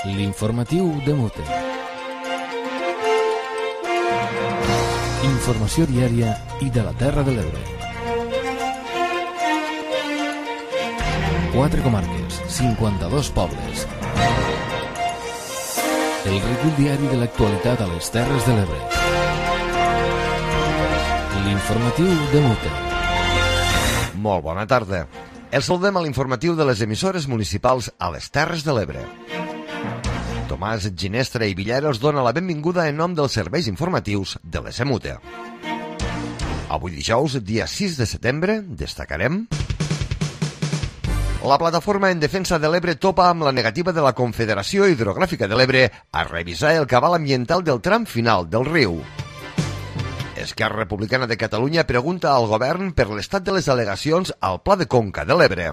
L'informatiu de Mute. Informació diària i de la Terra de l'Ebre. 4 comarques, 52 pobles. El recull diari de l'actualitat a les Terres de l'Ebre. L'informatiu de Mute. Molt bona tarda. Els saludem a l'informatiu de les emissores municipals a les Terres de l'Ebre. Tomàs Ginestra i Villera us dona la benvinguda en nom dels serveis informatius de l'SMUTE. Avui dijous, dia 6 de setembre, destacarem: la plataforma en defensa de l'Ebre topa amb la negativa de la Confederació Hidrogràfica de l'Ebre a revisar el cabal ambiental del tram final del riu. Esquerra Republicana de Catalunya pregunta al govern per l'estat de les al·legacions al Pla de Conca de l'Ebre.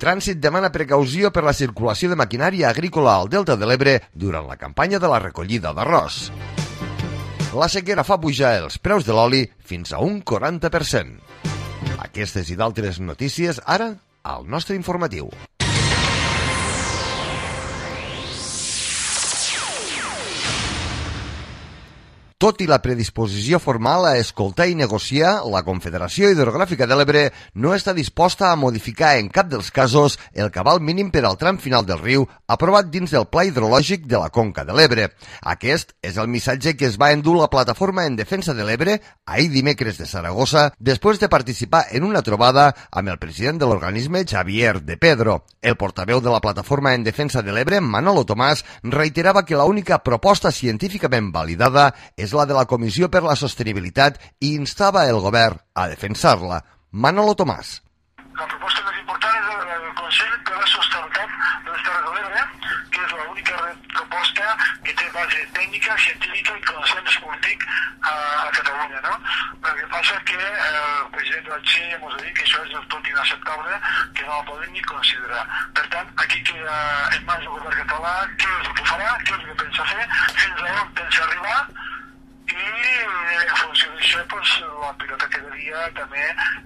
Trànsit demana precaució per la circulació de maquinària agrícola al Delta de l'Ebre durant la campanya de la recollida d'arròs. La sequera fa pujar els preus de l'oli fins a un 40%. Aquestes i d'altres notícies ara al nostre informatiu. Tot i la predisposició formal a escoltar i negociar, la Confederació Hidrogràfica de l'Ebre no està disposta a modificar en cap dels casos el cabal mínim per al tram final del riu aprovat dins del Pla Hidrològic de la Conca de l'Ebre. Aquest és el missatge que es va endur la Plataforma en Defensa de l'Ebre ahir dimecres de Saragossa després de participar en una trobada amb el president de l'organisme, Xavier de Pedro. El portaveu de la Plataforma en Defensa de l'Ebre, Manolo Tomàs, reiterava que l'única proposta científicament validada és la de la Comissió per la Sostenibilitat i instava el govern a defensar-la. Manolo Tomàs. La proposta més important és la del Consell per la Sostenibilitat de les Terres de l'Ebre, que és l'única proposta que té base tècnica, científica i consens polític a Catalunya, no? El que passa que el president de la Txell ja ens ha dit que això és del tot inacceptable, que no la podem ni considerar. Per tant, aquí queda en mans del govern català què és el que farà, què és el que pensa fer, fins a on pensa arribar, i en funció d'això la pilota quedaria també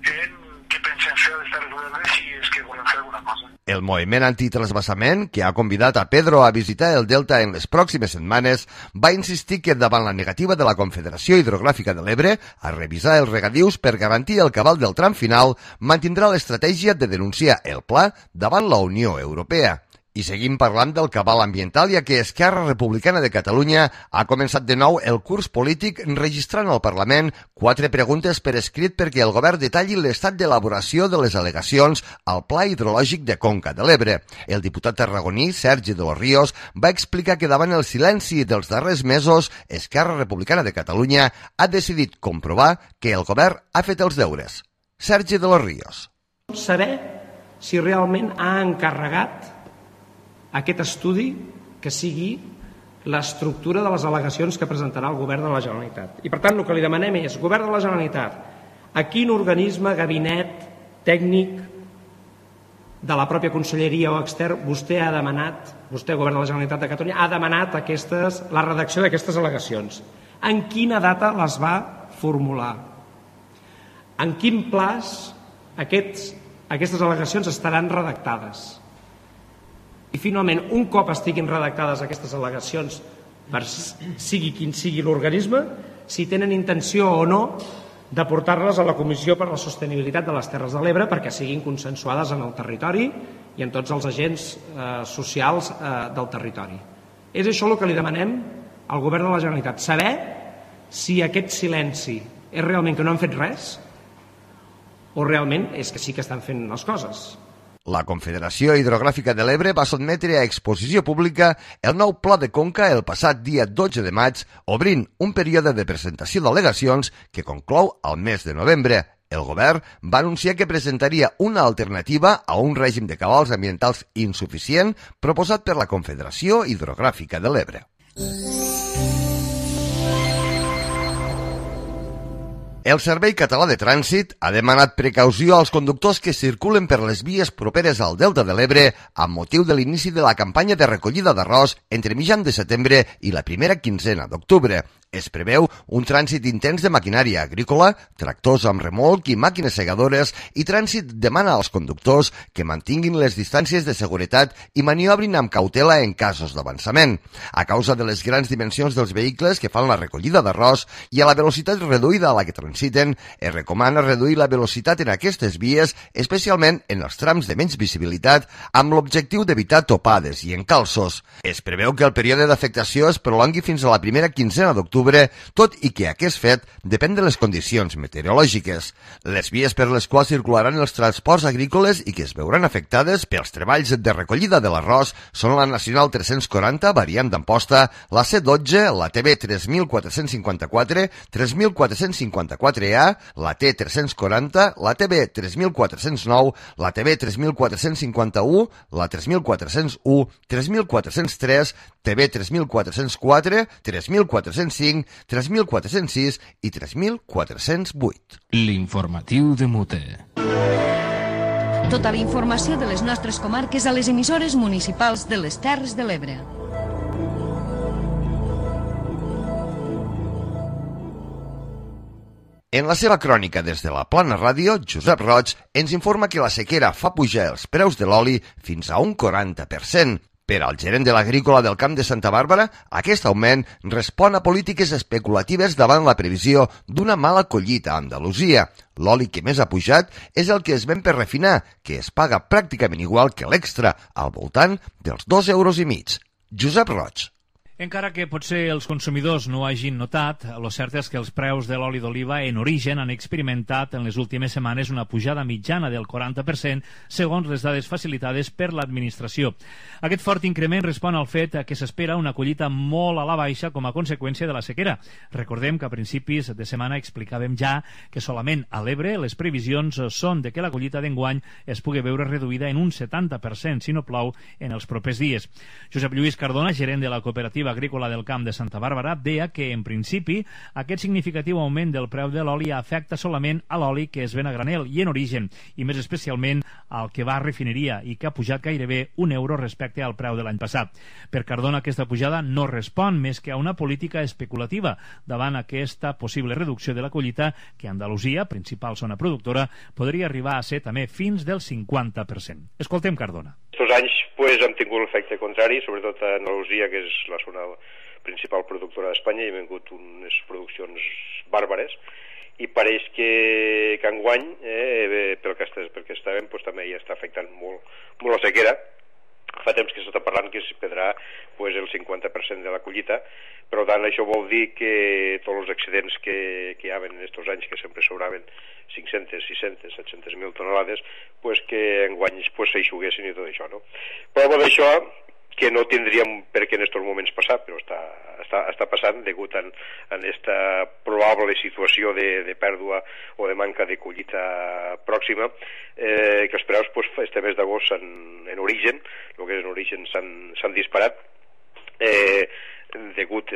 en què pensem fer a les Terres de l'Ebre si és que volem fer alguna cosa. El moviment antitransvasament, que ha convidat a Pedro a visitar el Delta en les pròximes setmanes, va insistir que davant la negativa de la Confederació Hidrogràfica de l'Ebre a revisar els regadius per garantir el cabal del tram final, mantindrà l'estratègia de denunciar el pla davant la Unió Europea. I seguim parlant del cabal ambiental, ja que Esquerra Republicana de Catalunya ha començat de nou el curs polític registrant al Parlament 4 preguntes per escrit perquè el govern detalli l'estat d'elaboració de les al·legacions al Pla Hidrològic de Conca de l'Ebre. El diputat tarragoní, Sergi de los Ríos, va explicar que davant el silenci dels darrers mesos, Esquerra Republicana de Catalunya ha decidit comprovar que el govern ha fet els deures. Sergi de los Ríos. Saber si realment ha encarregat aquest estudi que sigui l'estructura de les al·legacions que presentarà el govern de la Generalitat. I per tant el que li demanem és, govern de la Generalitat, a quin organisme, gabinet, tècnic de la pròpia conselleria o extern vostè ha demanat, vostè, govern de la Generalitat de Catalunya, ha demanat la redacció d'aquestes al·legacions? En quina data les va formular? En quin plaç aquestes al·legacions estaran redactades? I finalment, un cop estiguin redactades aquestes al·legacions, per sigui quin sigui l'organisme, si tenen intenció o no de portar-les a la Comissió per la Sostenibilitat de les Terres de l'Ebre perquè siguin consensuades en el territori i en tots els agents socials del territori. És això el que li demanem al govern de la Generalitat, saber si aquest silenci és realment que no han fet res o realment és que sí que estan fent les coses. La Confederació Hidrogràfica de l'Ebre va sotmetre a exposició pública el nou Pla de Conca el passat dia 12 de maig, obrint un període de presentació d'al·legacions que conclou al mes de novembre. El govern va anunciar que presentaria una alternativa a un règim de cabals ambientals insuficient proposat per la Confederació Hidrogràfica de l'Ebre. El Servei Català de Trànsit ha demanat precaució als conductors que circulen per les vies properes al Delta de l'Ebre amb motiu de l'inici de la campanya de recollida d'arròs entre mitjan de setembre i la primera quinzena d'octubre. Es preveu un trànsit intens de maquinària agrícola, tractors amb remolc i màquines segadores, i trànsit demana als conductors que mantinguin les distàncies de seguretat i maniobrin amb cautela en casos d'avançament. A causa de les grans dimensions dels vehicles que fan la recollida d'arròs i a la velocitat reduïda a la que transiten, es recomana reduir la velocitat en aquestes vies, especialment en els trams de menys visibilitat, amb l'objectiu d'evitar topades i encalços. Es preveu que el període d'afectació es prolongui fins a la primera quinzena d'octubre, tot i que aquest fet depèn de les condicions meteorològiques. Les vies per les quals circularan els transports agrícoles i que es veuran afectades pels treballs de recollida de l'arròs són la Nacional 340, variant d'Amposta, la C12, la TB 3454, 3454A, la T340, la TB 3409, la TB 3451, la 3401, 3403, TB 3404, 3405, 3406 i 3408. L'informatiu de Mute. Tota la informació de les nostres comarques a les emissores municipals de les Terres de l'Ebre. En la seva crònica des de la Plana Ràdio, Josep Roig ens informa que la sequera fa pujar els preus de l'oli fins a un 40%. Per al gerent de l'Agrícola del Camp de Santa Bàrbara, aquest augment respon a polítiques especulatives davant la previsió d'una mala collita a Andalusia. L'oli que més ha pujat és el que es ven per refinar, que es paga pràcticament igual que l'extra, al voltant dels 2,5 euros. Josep Roig. Encara que potser els consumidors no ho hagin notat, el cert és que els preus de l'oli d'oliva en origen han experimentat en les últimes setmanes una pujada mitjana del 40% segons les dades facilitades per l'administració. Aquest fort increment respon al fet que s'espera una collita molt a la baixa com a conseqüència de la sequera. Recordem que a principis de setmana explicàvem ja que solament a l'Ebre les previsions són de que la collita d'enguany es pugui veure reduïda en un 70% si no plou en els propers dies. Josep Lluís Cardona, gerent de la cooperativa Agrícola del Camp de Santa Bàrbara, deia que, en principi, aquest significatiu augment del preu de l'oli afecta solament a l'oli que es ven a granel i en origen, i més especialment al que va a refineria i que ha pujat gairebé €1 respecte al preu de l'any passat. Per Cardona, aquesta pujada no respon més que a una política especulativa davant aquesta possible reducció de la collita que Andalusia, principal zona productora, podria arribar a ser també fins del 50%. Escoltem Cardona. Estos anys hem tingut l'efecte contrari, sobretot a Andalusia, que és la zona principal productora d'Espanya, i han vingut unes produccions bàrbares, i pareix que enguany, pel que estàvem, també ja està afectant molt la sequera. Fa temps que s'està parlant que es perdrà el 50% de la collita, per tant això vol dir que tots els excedents que hi havia en aquests anys, que sempre sobraven 500, 600, 700.000 tonelades, que enguany s'eixuguessin i tot això, no? Però amb això, que no tindríem per què en aquests moments passar, però està passant degut a aquesta probable situació de pèrdua o de manca de collita pròxima, que els preus este mes d'agost en origen, el que és en origen s'han disparat, degut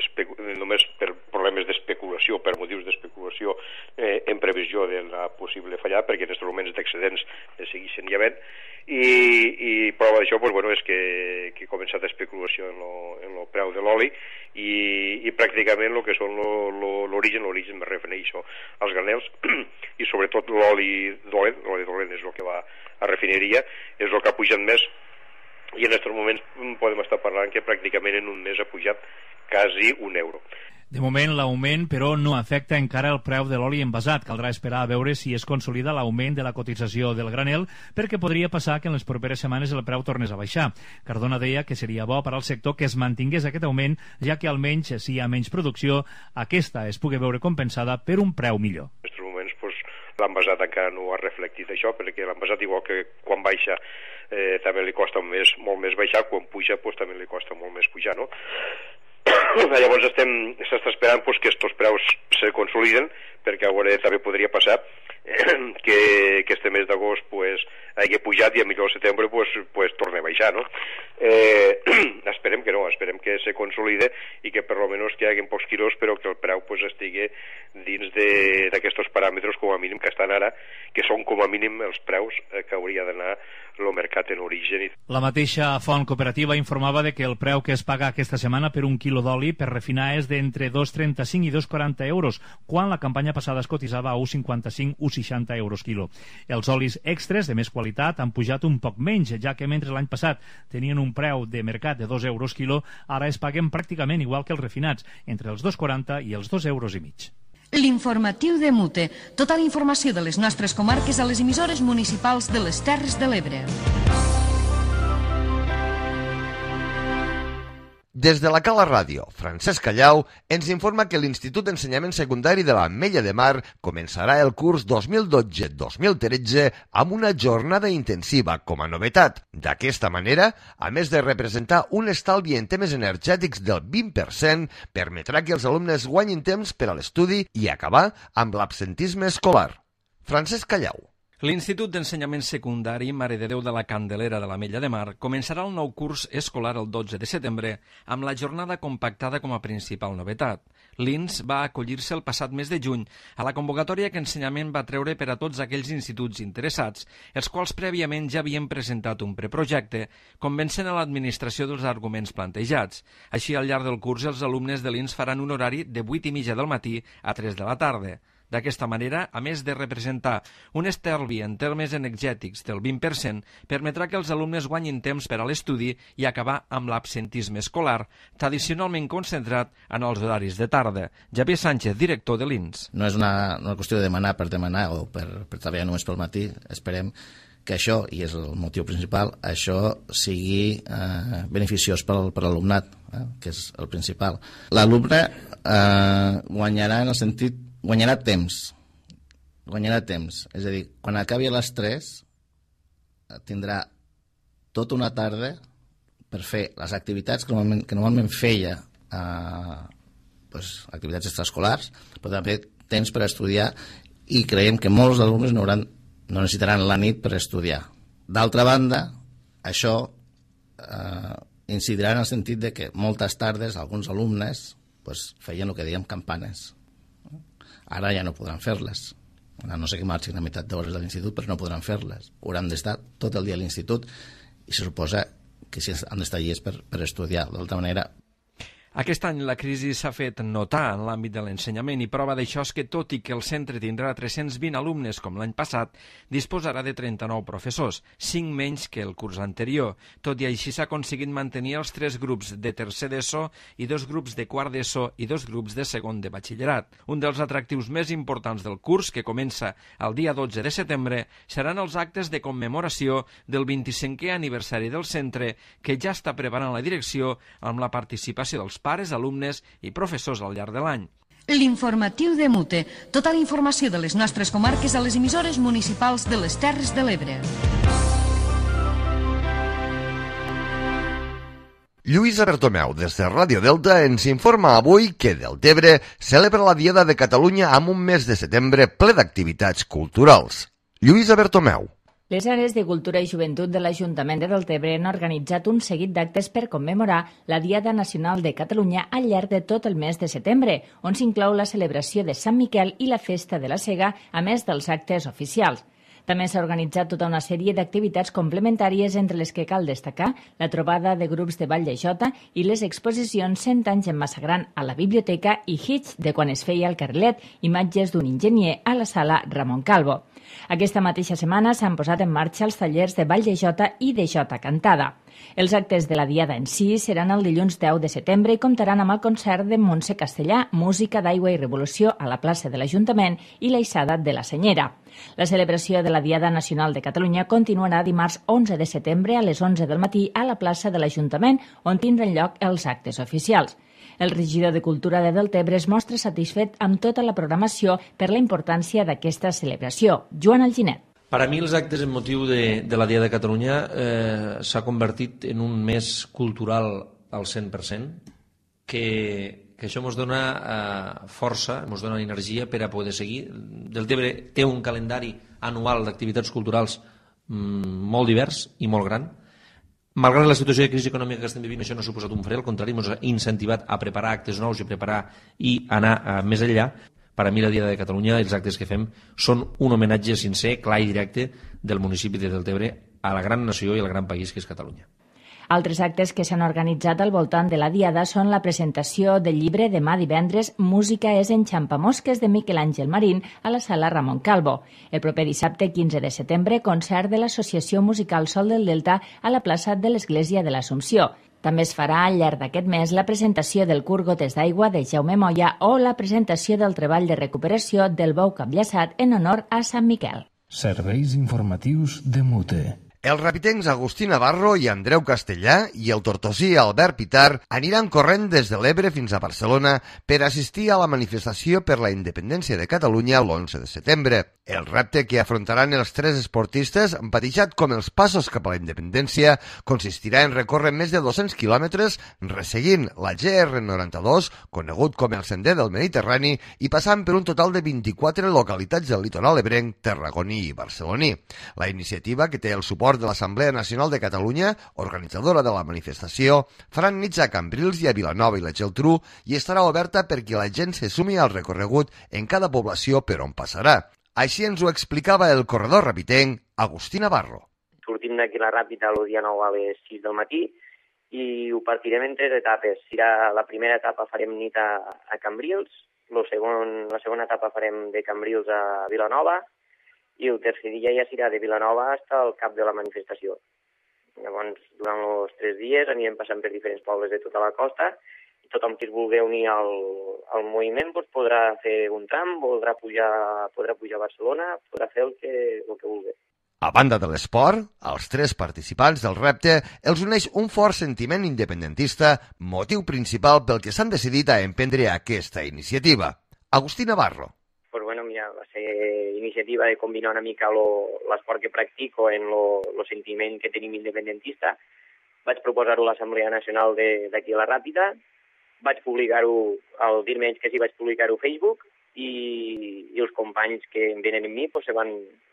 només per problemes d'especulació, per motius d'especulació en previsió de la possible fallada, perquè en aquests moments d'excedents segueixen hi havent, i prova d'això és que ha començat especulació en el preu de l'oli i pràcticament el que són l'origen me refereixo als granels i sobretot l'oli dolent és el que va a refineria, és el que ha pujat més, i en aquests moments podem estar parlant que pràcticament en un mes ha pujat quasi €1. De moment, l'augment, però, no afecta encara el preu de l'oli envasat. Caldrà esperar a veure si es consolida l'augment de la cotització del granel, perquè podria passar que en les properes setmanes el preu tornés a baixar. Cardona deia que seria bo per al sector que es mantingués aquest augment, ja que almenys, si hi ha menys producció, aquesta es pugui veure compensada per un preu millor. En aquests moments l'envasat encara no ha reflectit això, perquè l'envasat, igual que quan baixa, també li costa molt més baixar, quan puja també li costa molt més pujar, no? Llavors s'està esperant que aquests preus se consoliden, perquè ara també podria passar que este mes d'agost hagi pujat i a millor al setembre torni a baixar, no? Esperem que no, esperem que se consolide i que per almenys que hi hagi pocs quilos, però que el preu estigui dins d'aquests paràmetres com a mínim que estan ara, que són com a mínim els preus que hauria d'anar el mercat en origen. La mateixa font cooperativa informava de que el preu que es paga aquesta setmana per un quilo d'oli per refinar és d'entre 2,35 i 2,40 euros, quan la campanya passada es cotitzava a 1,55 o 60 euros quilo. Els olis extres de més qualitat han pujat un poc menys, ja que mentre l'any passat tenien un preu de mercat de 2 euros quilo, ara es paguen pràcticament igual que els refinats, entre els 2,40 i els 2,5 euros. L'informatiu de Mute. Tota la informació de les nostres comarques a les emissores municipals de les Terres de l'Ebre. Des de la Cala Ràdio, Francesc Callau ens informa que l'Institut d'Ensenyament Secundari de l'Ametlla de Mar començarà el curs 2012-2013 amb una jornada intensiva com a novetat. D'aquesta manera, a més de representar un estalvi en temes energètics del 20%, permetrà que els alumnes guanyin temps per a l'estudi i acabar amb l'absentisme escolar. Francesc Callau. L'Institut d'Ensenyament Secundari Mare de Déu de la Candelera de l'Ametlla de Mar començarà el nou curs escolar el 12 de setembre amb la jornada compactada com a principal novetat. L'INS va acollir-se el passat mes de juny a la convocatòria que Ensenyament va treure per a tots aquells instituts interessats, els quals prèviament ja havien presentat un preprojecte, convencent a l'administració dels arguments plantejats. Així, al llarg del curs, els alumnes de l'INS faran un horari de 8:30 del matí a 3 de la tarda. D'aquesta manera, a més de representar un estalvi en termes energètics del 20%, permetrà que els alumnes guanyin temps per a l'estudi i acabar amb l'absentisme escolar, tradicionalment concentrat en els horaris de tarda. Javier Sánchez, director de l'INS. No és una qüestió de demanar per demanar o per treballar només pel matí. Esperem que això, i és el motiu principal, això sigui beneficiós per a l'alumnat, que és el principal. L'alumne guanyarà en el sentit guanyarà temps, és a dir, quan acabi a les 3 tindrà tota una tarda per fer les activitats que normalment feia, activitats extraescolars, però també temps per estudiar, i creiem que molts alumnes no necessitaran la nit per estudiar. D'altra banda, això incidirà en el sentit de que moltes tardes alguns alumnes feien el que dèiem campanes. Ara ja no podran fer-les. A no sé que marxin a meitat d'hores de l'institut, però no podran fer-les. Hauran d'estar tot el dia a l'institut i se suposa que si han d'estar allí és per estudiar. D'altra manera, Aquest any la crisi s'ha fet notar en l'àmbit de l'ensenyament i prova d'això és que, tot i que el centre tindrà 320 alumnes com l'any passat, disposarà de 39 professors, 5 menys que el curs anterior. Tot i així s'ha aconseguit mantenir els 3 grups de tercer d'ESO i 2 grups de quart d'ESO i 2 grups de segon de batxillerat. Un dels atractius més importants del curs, que comença el dia 12 de setembre, seran els actes de commemoració del 25è aniversari del centre, que ja està preparant la direcció amb la participació dels pares, alumnes i professors al llarg de l'any. L'informatiu de Mute. Tota la informació de les nostres comarques a les emissores municipals de les Terres de l'Ebre. Lluïsa Bertomeu, des de Ràdio Delta, ens informa avui que Deltebre celebra la Diada de Catalunya amb un mes de setembre ple d'activitats culturals. Lluïsa Bertomeu. Les àrees de Cultura i Joventut de l'Ajuntament de Deltebre han organitzat un seguit d'actes per commemorar la Diada Nacional de Catalunya al llarg de tot el mes de setembre, on s'inclou la celebració de Sant Miquel i la Festa de la Sega, a més dels actes oficials. També s'ha organitzat tota una sèrie d'activitats complementàries, entre les que cal destacar la trobada de grups de Vall de Jota i les exposicions 100 anys en Massa Gran a la biblioteca i Hitch de quan es feia el carrilet, imatges d'un enginyer a la sala Ramon Calvo. Aquesta mateixa setmana s'han posat en marxa els tallers de Vall de Jota i de Jota Cantada. Els actes de la Diada en si seran el dilluns 10 de setembre i comptaran amb el concert de Montse Castellà, Música d'Aigua i Revolució a la plaça de l'Ajuntament i la Ixada de la Senyera. La celebració de la Diada Nacional de Catalunya continuarà dimarts 11 de setembre a les 11 del matí a la plaça de l'Ajuntament, on tindran lloc els actes oficials. El regidor de Cultura de Deltebre es mostra satisfet amb tota la programació per la importància d'aquesta celebració. Joan Alginet. Per a mi els actes en motiu de la Diada de Catalunya s'ha convertit en un mes cultural al 100%, que això ens dona força, ens dona energia per a poder seguir. Deltebre té un calendari anual d'activitats culturals molt divers i molt gran. Malgrat la situació de crisi econòmica que estem vivint, això no ha suposat un fre, al contrari, ens ha incentivat a preparar actes nous i anar més enllà. Per a mi la Diada de Catalunya, els actes que fem, són un homenatge sincer, clar i directe del municipi de Deltebre a la gran nació i al gran país que és Catalunya. Altres actes que s'han organitzat al voltant de la Diada són la presentació del llibre demà divendres Música és enxampamosques de Miquel Àngel Marín a la sala Ramon Calvo. El proper dissabte 15 de setembre, concert de l'Associació Musical Sol del Delta a la plaça de l'Església de l'Assumpció. També es farà al llarg d'aquest mes la presentació del curt Gotes d'aigua de Jaume Moya o la presentació del treball de recuperació del bou capllaçat en honor a Sant Miquel. Serveis informatius de Mute. Els rapitencs Agustí Navarro i Andreu Castellà i el tortosí Albert Pitar aniran corrent des de l'Ebre fins a Barcelona per assistir a la manifestació per la independència de Catalunya l'11 de setembre. El repte que afrontaran els tres esportistes, batejat com els passos cap a la independència, consistirà en recórrer més de 200 quilòmetres resseguint la GR92, conegut com el Sender del Mediterrani, i passant per un total de 24 localitats del litoral ebrenc, tarragoní i barceloní. La iniciativa, que té el suport de l'Assemblea Nacional de Catalunya, organitzadora de la manifestació, faran nits a Cambrils i a Vilanova i la Geltrú i estarà oberta perquè la gent se sumi al recorregut en cada població per on passarà. Així ens ho explicava el corredor rapitenc Agustí Navarro. Sortim d'aquí la Ràpita el dia 9 a les 6 del matí i ho partirem en 3 etapes. La primera etapa farem nit a Cambrils, la segona etapa farem de Cambrils a Vilanova i el tercer dia ja serà de Vilanova fins al cap de la manifestació. Llavors, durant els 3 dies anirem passant per diferents pobles de tota la costa i tothom que es vulgui unir al moviment podrà fer un tram, podrà pujar a Barcelona, podrà fer el que vulgui. A banda de l'esport, als tres participants del repte els uneix un fort sentiment independentista, motiu principal pel que s'han decidit a emprendre aquesta iniciativa. Agustí Navarro. Va ser iniciativa de combinar una mica l'esport que practico en el sentiment que tenim independentista. Vaig proposar-ho a l'Assemblea Nacional d'aquí a la Ràpita, vaig publicar-ho, al dir menys que sí, vaig publicar-ho a Facebook i els companys que venen amb mi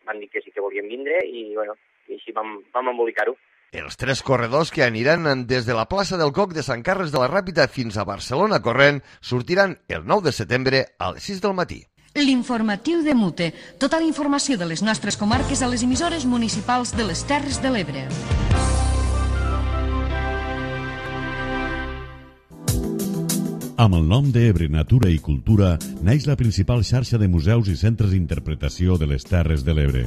van dir que sí que volien vindre i així vam embolicar-ho. Els tres corredors que aniran des de la plaça del Coc de Sant Carles de la Ràpita fins a Barcelona corrent sortiran el 9 de setembre a les 6 del matí. L'informatiu de Mute. Tota la informació de les nostres comarques a les emissores municipals de les Terres de l'Ebre. Amb el nom d'Ebre Natura i Cultura naix la principal xarxa de museus i centres d'interpretació de les Terres de l'Ebre.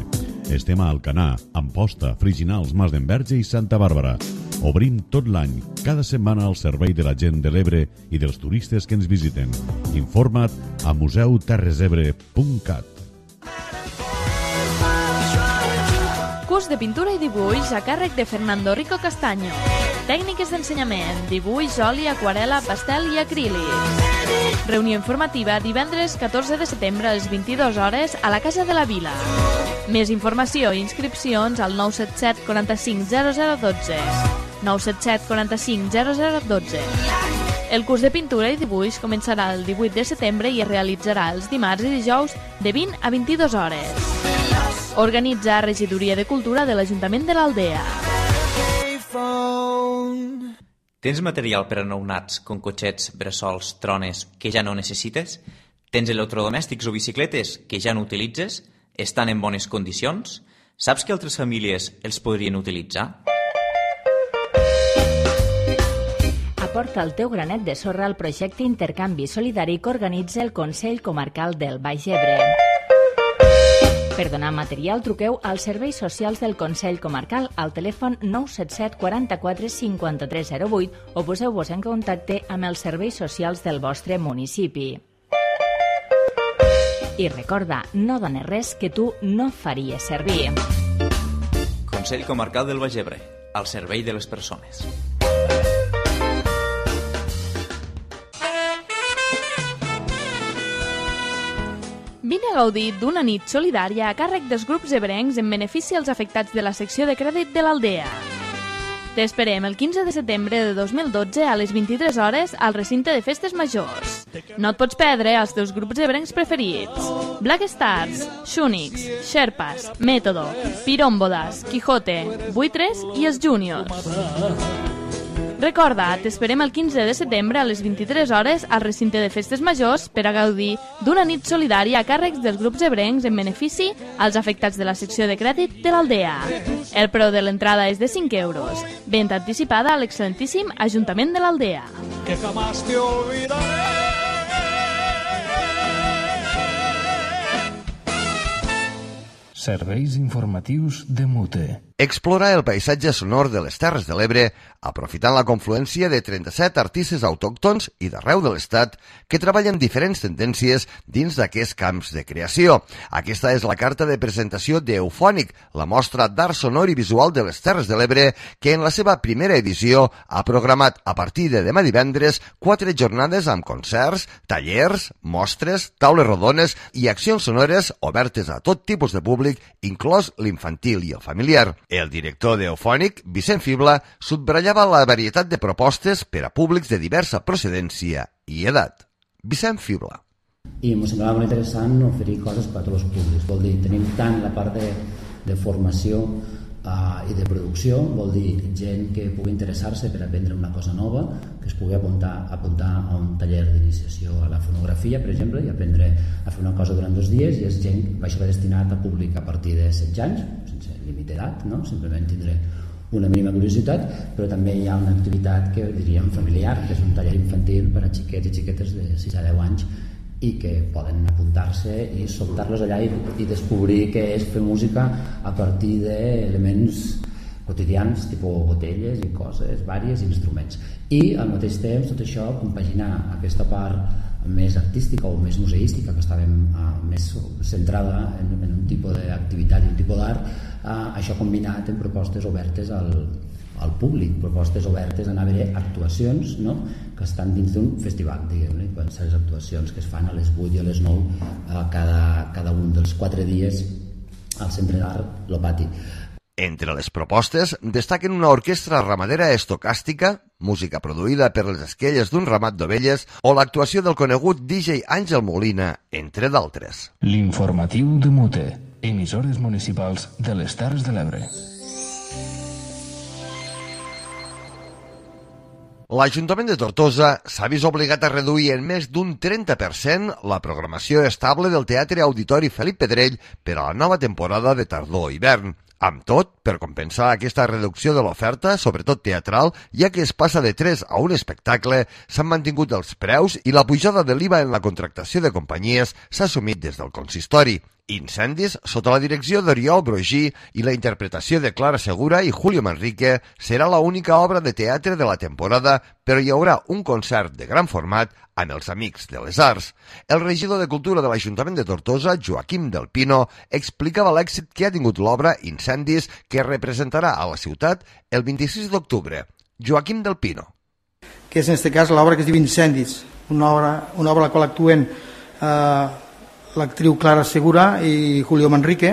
Estem a Alcanar, Amposta, Friginals, Mas d'Enverge i Santa Bàrbara. Obrim tot l'any, cada setmana al servei de la gent de l'Ebre i dels turistes que ens visiten. Informa't a museuterresebre.cat. Curs de pintura i dibuix a càrrec de Fernando Rico Castaño. Tècniques d'ensenyament, dibuix, oli, aquarela, pastel i acrílic. Reunió informativa divendres 14 de setembre a les 22 hores a la Casa de la Vila. Més informació i inscripcions al 977 45 0012. 977 45 0012. El curs de pintura i dibuix començarà el 18 de setembre i es realitzarà els dimarts i dijous de 20 a 22 hores. Organitza Regidoria de Cultura de l'Ajuntament de l'Aldea. Tens material per a nounats, com cotxets, bressols, trones, que ja no necessites? Tens electrodomèstics o bicicletes que ja no utilitzes? Estan en bones condicions? Saps que altres famílies els podrien utilitzar? Aporta el teu granet de sorra al projecte Intercanvi Solidari que organitza el Consell Comarcal del Baix Ebre. Per donar material, truqueu als serveis socials del Consell Comarcal al telèfon 977 44 5308 o poseu-vos en contacte amb els serveis socials del vostre municipi. I recorda, no dones res que tu no faries servir. Consell Comarcal del Baix Ebre, al servei de les persones. Vine a gaudir d'una nit solidària a càrrec dels grups ebrencs en benefici als afectats de la secció de crèdit de l'Aldea. T'esperem el 15 de setembre de 2012 a les 23 hores al recinte de festes majors. No et pots perdre els teus grups ebrencs preferits: Black Stars, Shunix, Sherpas, Método, Pirómbodas, Quijote, Buitres i els Júniors. Recorda, t'esperem el 15 de setembre a les 23 hores al recinte de festes majors per a gaudir d'una nit solidària a càrrecs dels grups ebrencs en benefici als afectats de la secció de crèdit de l'Aldea. El preu de l'entrada és de 5 euros. Venda anticipada a l'excel·lentíssim Ajuntament de l'Aldea. Que jamás te olvidaré. Serveis informatius de Mute. Explorar el paisatge sonor de les Terres de l'Ebre aprofitant la confluència de 37 artistes autòctons i d'arreu de l'Estat que treballen diferents tendències dins d'aquests camps de creació. Aquesta és la carta de presentació d'Eufònic, la mostra d'art sonor i visual de les Terres de l'Ebre, que en la seva primera edició ha programat a partir de demà divendres 4 jornades amb concerts, tallers, mostres, taules rodones i accions sonores obertes a tot tipus de públic, inclòs l'infantil i el familiar. El director d'Eufònic, Vicent Fibla, subratllava la varietat de propostes per a públics de diversa procedència i edat. Vicent Fibla. I em semblava molt interessant oferir coses per a tots els públics. Vol dir, tenim tant la part de formació i de producció, vol dir gent que pugui interessar-se per aprendre una cosa nova, que es pugui apuntar a un taller d'iniciació a la fonografia, per exemple, i aprendre a fer una cosa durant 2 dies, i és gent que va destinat a públic a partir de 16 anys, sense límit d'edat, no? Simplement tindré una mínima curiositat, però també hi ha una activitat que diríem familiar, que és un taller infantil per a xiquets i xiquetes de 6 a 10 anys i que poden apuntar-se i soltar-los allà i descobrir què és fer música a partir d'elements quotidians, tipus botelles i coses, vàries instruments. I al mateix temps tot això compaginar aquesta part més artística o més museística, que estàvem més centrada en un tipus d'activitat i un tipus d'art, això combinat en propostes obertes al públic, propostes obertes a anar a veure actuacions, no?, que estan dins d'un festival, diguem-ne, quan són les actuacions que es fan a les 8 i a les 9 cada un dels 4 dies al Centre d'Art Lo Pati. Entre les propostes destaquen una orquestra ramadera estocàstica, música produïda per les esquelles d'un ramat d'ovelles o l'actuació del conegut DJ Àngel Molina, entre d'altres. L'informatiu de Mute, emissores municipals de les Terres de l'Ebre. L'Ajuntament de Tortosa s'ha vist obligat a reduir en més d'un 30% la programació estable del Teatre Auditori Felip Pedrell per a la nova temporada de tardor-hivern. Amb tot, per compensar aquesta reducció de l'oferta, sobretot teatral, ja que es passa de 3 a un espectacle, s'han mantingut els preus i la pujada de l'IVA en la contractació de companyies s'ha assumit des del consistori. Incendis, sota la direcció d'Oriol Brogí i la interpretació de Clara Segura i Julio Manrique, serà l'única obra de teatre de la temporada, però hi haurà un concert de gran format amb els Amics de les Arts. El regidor de Cultura de l'Ajuntament de Tortosa, Joaquim del Pino, explicava l'èxit que ha tingut l'obra Incendis, que representarà a la ciutat el 26 d'octubre. Joaquim del Pino. Que és en aquest cas l'obra que es diu Incendis, una obra a la qual actuen l'actriu Clara Segura i Julio Manrique.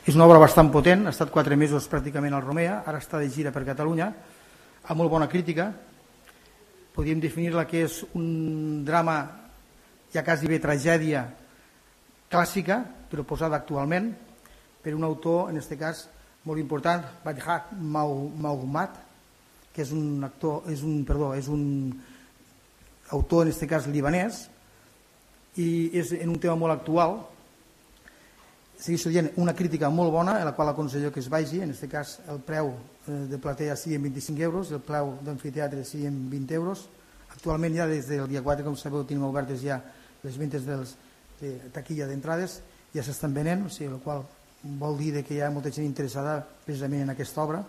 És una obra bastant potent, ha estat 4 mesos pràcticament al Romea, ara està de gira per Catalunya, amb molt bona crítica. Podríem definir-la que és un drama, ja quasi bé tragèdia clàssica, però posada actualment, per un autor, en aquest cas, molt important, Bajhat Mahmoud, que és un autor, en aquest cas, libanès, i és en un tema molt actual. Segueixo dient una crítica molt bona, en la qual aconsello que es vagi. En aquest cas el preu de platea sigui en 25 euros, el preu d'amfiteatre sigui en 20 euros. Actualment ja des del dia 4, com sabeu, tenim obertes ja les ventes de taquilla d'entrades, ja s'estan venent, o sigui, el qual vol dir que hi ha molta gent interessada precisament en aquesta obra.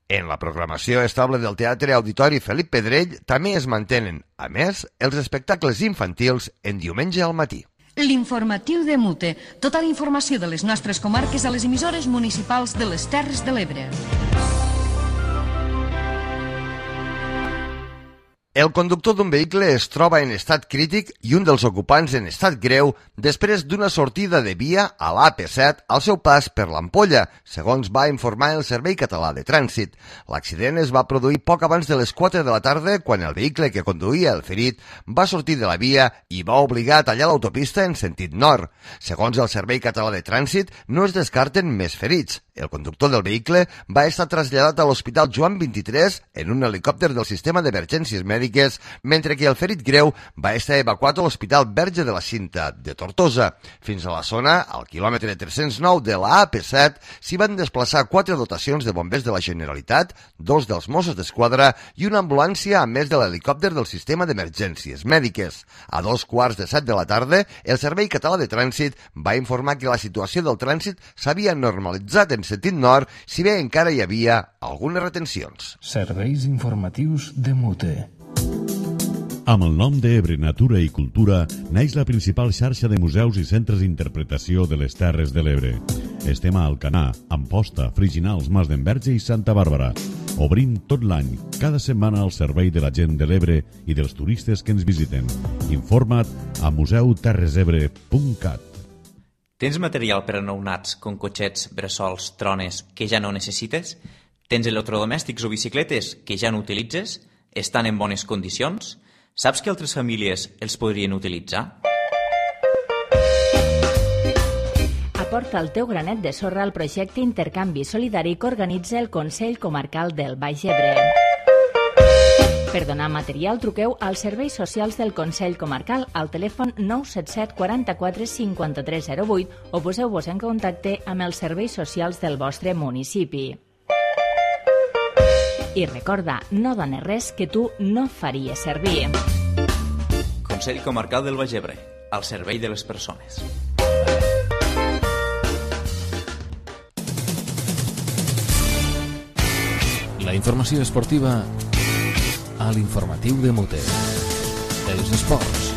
En la programació estable del Teatre Auditori Felip Pedrell també es mantenen, a més, els espectacles infantils en diumenge al matí. L'informatiu de Mute. Tota la informació de les nostres comarques a les emissores municipals de les Terres de l'Ebre. El conductor d'un vehicle es troba en estat crític i un dels ocupants en estat greu després d'una sortida de via a l'AP7 al seu pas per l'Ampolla, segons va informar el Servei Català de Trànsit. L'accident es va produir poc abans de les 4 de la tarda quan el vehicle que conduïa el ferit va sortir de la via i va obligar a tallar l'autopista en sentit nord. Segons el Servei Català de Trànsit, no es descarten més ferits. El conductor del vehicle va estar traslladat a l'Hospital Joan XXIII en un helicòpter del Sistema d'Emergències Mèdiques mèdiques, mentre que el ferit greu va estar evacuat a l'Hospital Verge de la Cinta de Tortosa. Fins a la zona, al quilòmetre 309 de la AP7, s'hi van desplaçar 4 dotacions de bombers de la Generalitat, 2 dels Mossos d'Esquadra i una ambulància, a més de l'helicòpter del sistema d'emergències mèdiques. A 2:15 de la tarda, el Servei Català de Trànsit va informar que la situació del trànsit s'havia normalitzat en sentit nord, si bé encara hi havia algunes retencions. Serveis informatius de Mute. Amb el nom d'Ebre Natura i Cultura naix la principal xarxa de museus i centres d'interpretació de les Terres de l'Ebre. Estem a Alcanar, Amposta, Friginals, Mas d'Enverge i Santa Bàrbara. Obrim tot l'any, cada setmana al servei de la gent de l'Ebre i dels turistes que ens visiten. Informa't a museuterresebre.cat. Tens material per a nounats, com cotxets, bressols, trones, que ja no necessites? Tens electrodomèstics o bicicletes que ja no utilitzes? Estan en bones condicions? Saps que altres famílies els podrien utilitzar? Aporta el teu granet de sorra al projecte Intercanvi Solidari que organitza el Consell Comarcal del Baix Ebre. Per donar material, truqueu als serveis socials del Consell Comarcal al telèfon 977 44 53 08 o poseu-vos en contacte amb els serveis socials del vostre municipi. I recorda, no dones res que tu no faries servir. Consell Comarcal del Baix Ebre, al servei de les persones. La informació esportiva a l'informatiu de Mute. Els esports.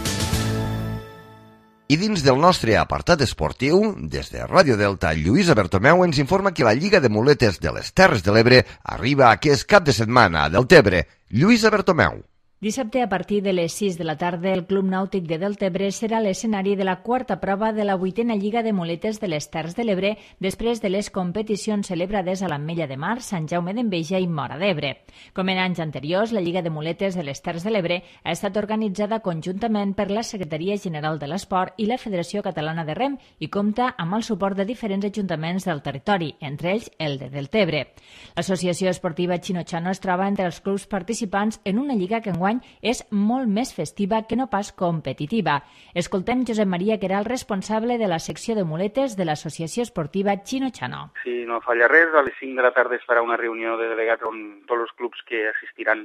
I dins del nostre apartat esportiu, des de Ràdio Delta, Lluïsa Bertomeu ens informa que la Lliga de Muletes de les Terres de l'Ebre arriba aquest cap de setmana a Deltebre. Lluïsa Bertomeu. Dissabte, a partir de les 6 de la tarda, el Club Nàutic de Deltebre serà l'escenari de la quarta prova de la 8a Lliga de Muletes de les Terres de l'Ebre després de les competicions celebrades a l'Ametlla de Mar, Sant Jaume d'Enveja i Móra d'Ebre. Com en anys anteriors, la Lliga de Muletes de les Terres de l'Ebre ha estat organitzada conjuntament per la Secretaria General de l'Esport i la Federació Catalana de Rem i compta amb el suport de diferents ajuntaments del territori, entre ells el de Deltebre. L'Associació Esportiva Chino-Chano es troba entre els clubs participants en una lliga que enguany és molt més festiva que no pas competitiva. Escoltem Josep Maria, que era el responsable de la secció de muletes de l'Associació Esportiva Chino-Chano. Si no falla res, a les 5 de la tarda es farà una reunió de delegats on tots els clubs que assistiran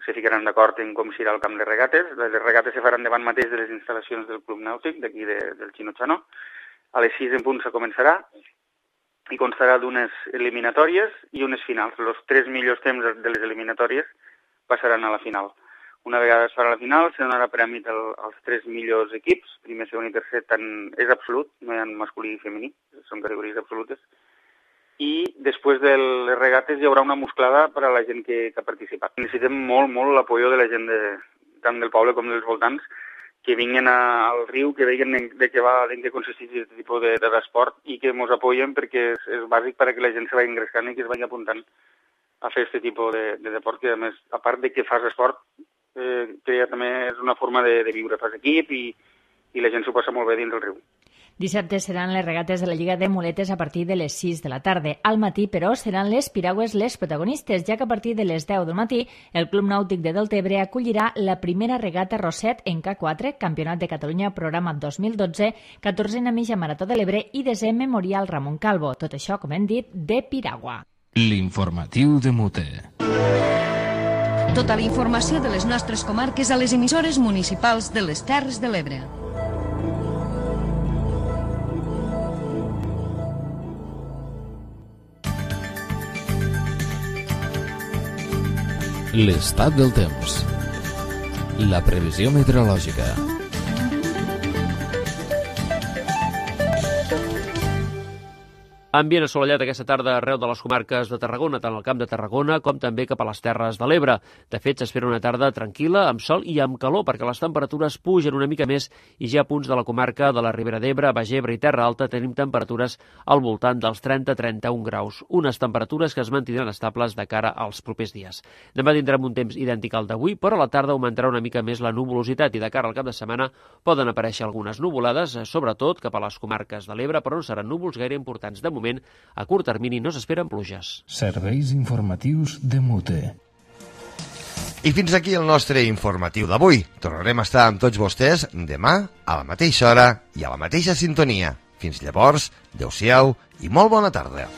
se ficaran d'acord en com serà el camp de regates. Les regates se faran davant mateix de les instal·lacions del Club Nàutic, d'aquí del Chino-Chano. A les 6 en punt se començarà i constarà d'unes eliminatòries i unes finals. Els 3 millors temps de les eliminatòries passaran a la final. Una vegada es farà la final, se donarà prèmit als 3 millors equips, primer, segon i tercer, és absolut, no hi ha masculí i femení, són categories absolutes. I després de les regates hi haurà una musclada per a la gent que ha participat. Necessitem molt l'apoyo de la gent tant del poble com dels voltants, que vinguin al riu, que vegin en què consisteix aquest tipus d'esport i que ens apoyen perquè és bàsic perquè la gent se vagi engrescant i que es vagi apuntant a fer aquest tipus de deport, que a més, a part de que fas esport, que també és una forma de viure. Fas equip i la gent s'ho passa molt bé dins del riu. Dissabte seran les regates de la Lliga de Muletes a partir de les 6 de la tarda. Al matí, però, seran les piragües les protagonistes, ja que a partir de les 10 del matí el Club Nàutic de Deltebre acollirà la primera regata Roset en K4, Campionat de Catalunya Programa 2012, 14a Mitja Marató de l'Ebre i 10è Memorial Ramon Calvo. Tot això, com hem dit, de piragua. L'informatiu de Mute. Tota la informació de les nostres comarques a les emissores municipals de les Terres de l'Ebre. L'estat del temps. La previsió meteorològica. Ambient assolellat aquesta tarda arreu de les comarques de Tarragona, tant al Camp de Tarragona com també cap a les Terres de l'Ebre. De fet, s'espera una tarda tranquil·la, amb sol i amb calor, perquè les temperatures pugen una mica més i ja a punts de la comarca de la Ribera d'Ebre, Baix Ebre i Terra Alta tenim temperatures al voltant dels 30-31 graus. Unes temperatures que es mantindran estables de cara als propers dies. Demà tindrem un temps idèntic al d'avui, però a la tarda augmentarà una mica més la nuvolositat i de cara al cap de setmana poden aparèixer algunes nuvolades, sobretot cap a les comarques de l'Ebre, però no seran núvols gaire importants. De moment, a curt termini no s'esperen pluges. Serveis informatius de Mute. I fins aquí el nostre informatiu d'avui. Tornarem a estar amb tots vostès demà a la mateixa hora i a la mateixa sintonia. Fins llavors, adeu-siau i molt bona tarda.